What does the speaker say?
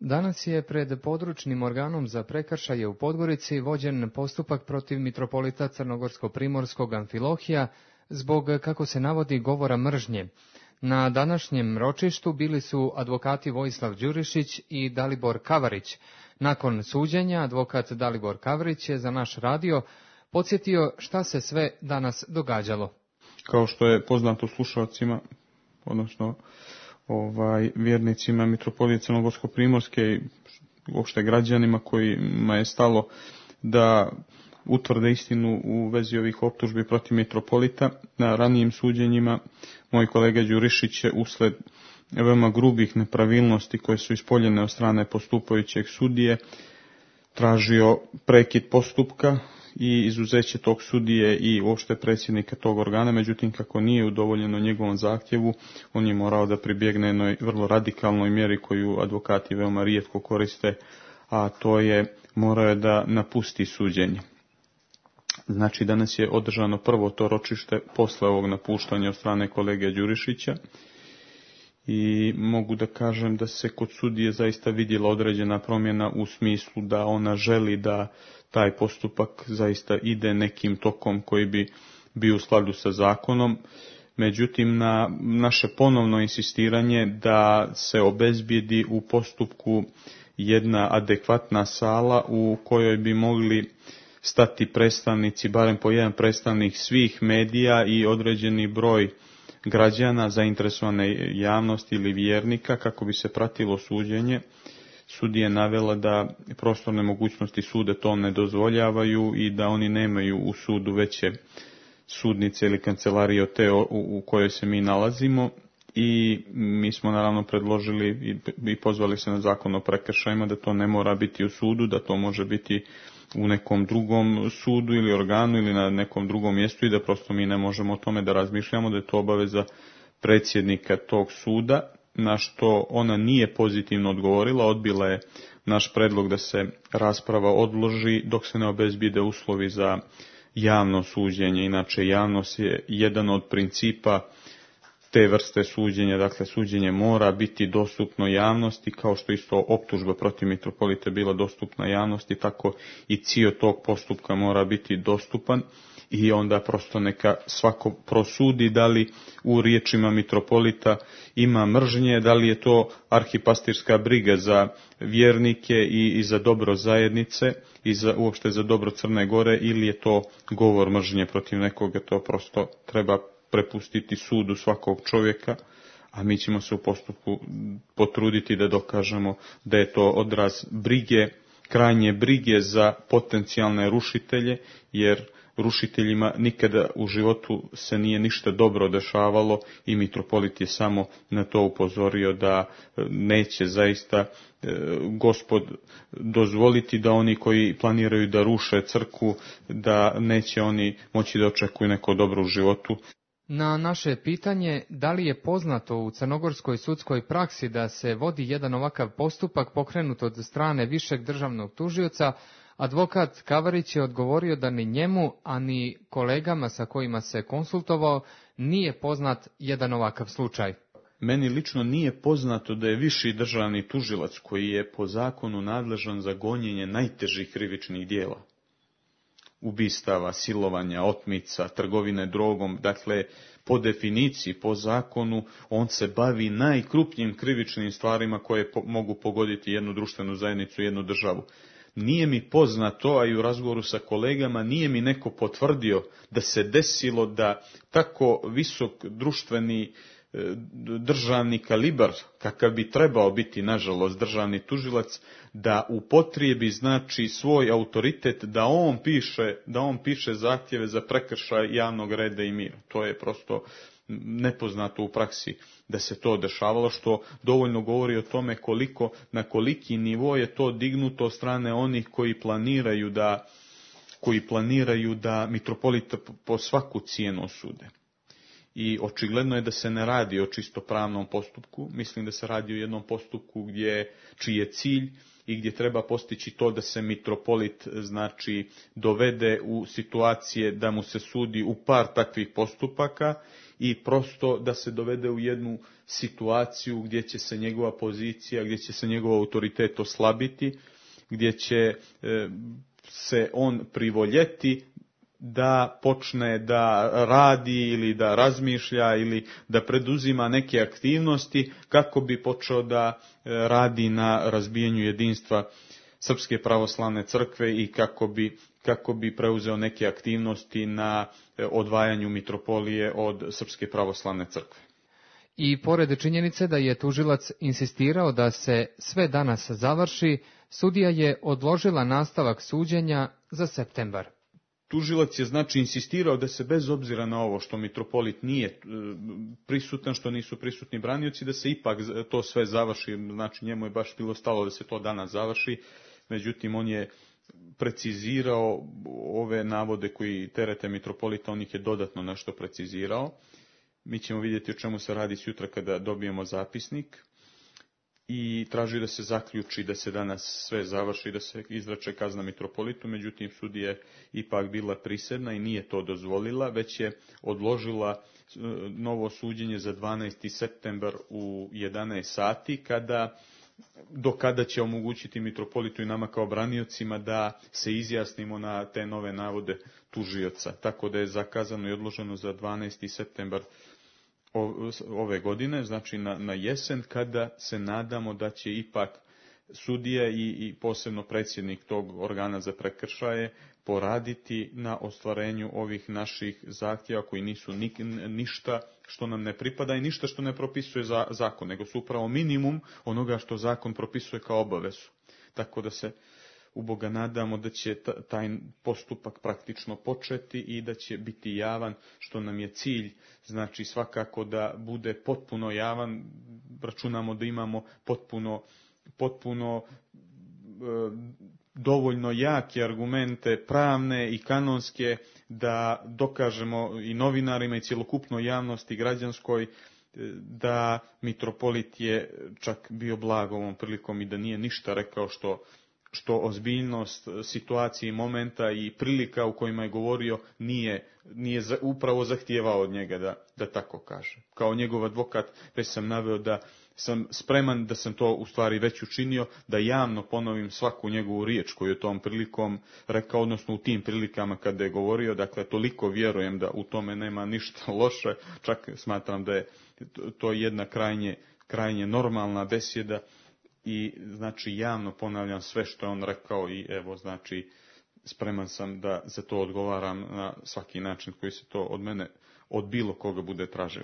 Danas je pred područnim organom za prekršaje u Podgorici vođen postupak protiv mitropolita Crnogorsko-primorskog Amfilohija zbog, kako se navodi, govora mržnje. Na današnjem ročištu bili su advokati Vojislav Đurišić i Dalibor Kavarić. Nakon suđenja, advokat Dalibor Kavarić je za naš radio podsjetio šta se sve danas događalo. Kao što je poznato slušalcima, odnosno vjernicima mitropolije Crnogorsko-primorske i uopšte građanima kojima je stalo da utvrde istinu u vezi ovih optužbi protiv mitropolita, na ranijim suđenjima moj kolega Đurišić je usled veoma grubih nepravilnosti koje su ispoljene od strane postupajućeg sudije tražio prekid postupka i izuzeće tog sudije i uopšte predsjednika tog organa, međutim kako nije udovoljeno njegovom zahtjevu, on je morao da pribjegne jednoj vrlo radikalnoj mjeri koju advokati veoma rijetko koriste, a to je morao je da napusti suđenje. Znači danas je održano prvo to ročište posle ovog napuštanja od strane kolege Đurišića i mogu da kažem da se kod sudije zaista vidjela određena promjena u smislu da ona želi da taj postupak zaista ide nekim tokom koji bi bio u skladu sa zakonom. Međutim, na naše ponovno insistiranje da se obezbijedi u postupku jedna adekvatna sala u kojoj bi mogli stati predstavnici, barem po jedan predstavnik svih medija i određeni broj građana, zainteresovane javnosti ili vjernika, kako bi se pratilo suđenje. Sudija je navela da prostorne mogućnosti suda to ne dozvoljavaju i da oni nemaju u sudu veće sudnice ili kancelarije od te u kojoj se mi nalazimo. I mi smo naravno predložili i pozvali se na zakon o prekršajima da to ne mora biti u sudu, da to može biti u nekom drugom sudu ili organu ili na nekom drugom mjestu i da prosto mi ne možemo o tome da razmišljamo, da je to obaveza predsjednika tog suda, na što ona nije pozitivno odgovorila, odbila je naš predlog da se rasprava odloži dok se ne obezbijede uslovi za javno suđenje. Inače, javnost je jedan od principa te vrste suđenja, dakle suđenje mora biti dostupno javnosti, kao što isto optužba protiv mitropolita bila dostupna javnosti, tako i cijel tog postupka mora biti dostupan i onda prosto neka svako prosudi da li u riječima mitropolita ima mržnje, da li je to arhipastirska briga za vjernike i za dobro zajednice i uopšte za dobro Crne Gore ili je to govor mržnje protiv nekoga, to prosto treba prepustiti sudu svakog čovjeka, a mi ćemo se u postupku potruditi da dokažemo da je to odraz brige, krajnje brige za potencijalne rušitelje, jer rušiteljima nikada u životu se nije ništa dobro dešavalo i mitropolit je samo na to upozorio da neće zaista Gospod dozvoliti da oni koji planiraju da ruše crkvu, da neće oni moći da očekuju neko dobro u životu. Na naše pitanje da li je poznato u crnogorskoj sudskoj praksi da se vodi jedan ovakav postupak pokrenut od strane višeg državnog tužioca, advokat Kavarić je odgovorio da ni njemu, a ni kolegama sa kojima se konsultovao nije poznat jedan ovakav slučaj. Meni lično nije poznato da je viši državni tužilac koji je po zakonu nadležan za gonjenje najtežih krivičnih djela, ubistava, silovanja, otmica, trgovine drogom, dakle po definiciji, po zakonu, on se bavi najkrupnijim krivičnim stvarima koje mogu pogoditi jednu društvenu zajednicu, jednu državu. Nije mi poznato, a i u razgovoru sa kolegama, nije mi neko potvrdio da se desilo da tako visok društveni državni kalibar, kakav bi trebao biti, nažalost, državni tužilac, da upotrijebi znači svoj autoritet, da on piše zahtjeve za prekršaj javnog reda i mira. To je prosto nepoznato u praksi da se to dešavalo, što dovoljno govori o tome na koliki nivo je to dignuto od strane onih koji planiraju da mitropolita po svaku cijenu osude. I očigledno je da se ne radi o čisto pravnom postupku, mislim da se radi o jednom postupku čiji je cilj i gdje treba postići to da se mitropolit dovede u situacije da mu se sudi u par takvih postupaka i prosto da se dovede u jednu situaciju gdje će se njegova pozicija, gdje će se njegov autoritet oslabiti, gdje će se on privoljeti da počne da radi ili da razmišlja ili da preduzima neke aktivnosti kako bi počeo da radi na razbijanju jedinstva Srpske pravoslavne crkve i kako bi preuzeo neke aktivnosti na odvajanju mitropolije od Srpske pravoslavne crkve. I pored činjenice da je tužilac insistirao da se sve danas završi, sudija je odložila nastavak suđenja za septembar. Tužilac je znači insistirao da se bez obzira na ovo što mitropolit nije prisutan, što nisu prisutni branioci, da se ipak to sve završi, znači njemu je baš bilo stalo da se to danas završi, međutim on je precizirao ove navode koji terete mitropolita, on ih je dodatno nešto precizirao. Mi ćemo vidjeti o čemu se radi sutra kada dobijemo zapisnik. I traži da se zaključi da se danas sve završi, da se izreče kazna mitropolitu, međutim sudija je ipak bila prisedna i nije to dozvolila, već je odložila novo suđenje za 12. septembar u 11 sati, do kada će omogućiti mitropolitu i nama kao braniocima da se izjasnimo na te nove navode tužioca. Tako da je zakazano i odloženo za 12. septembar ove godine, znači na jesen, kada se nadamo da će ipak sudija i posebno predsjednik tog organa za prekršaje poraditi na ostvarenju ovih naših zahtjeva koji nisu ništa što nam ne pripada i ništa što ne propisuje zakon, nego su upravo minimum onoga što zakon propisuje kao obavezu. Tako da se u Boga nadamo da će taj postupak praktično početi i da će biti javan, što nam je cilj, znači svakako da bude potpuno javan, računamo da imamo potpuno dovoljno jake argumente pravne i kanonske da dokažemo i novinarima i cjelokupnoj javnosti građanskoj da mitropolit je čak bio blag ovom prilikom i da nije ništa rekao što ozbiljnost situacije i momenta i prilika u kojima je govorio nije upravo zahtijevao od njega da tako kaže. Kao njegov advokat već sam naveo da sam spreman, da sam to u stvari već učinio, da javno ponovim svaku njegovu riječ koju je tom prilikom rekao, odnosno u tim prilikama kada je govorio, dakle toliko vjerujem da u tome nema ništa loše, čak smatram da je to jedna krajnje normalna besjeda. I znači javno ponavljam sve što je on rekao i evo znači spreman sam da za to odgovaram na svaki način koji se to od mene, od bilo koga bude tražilo.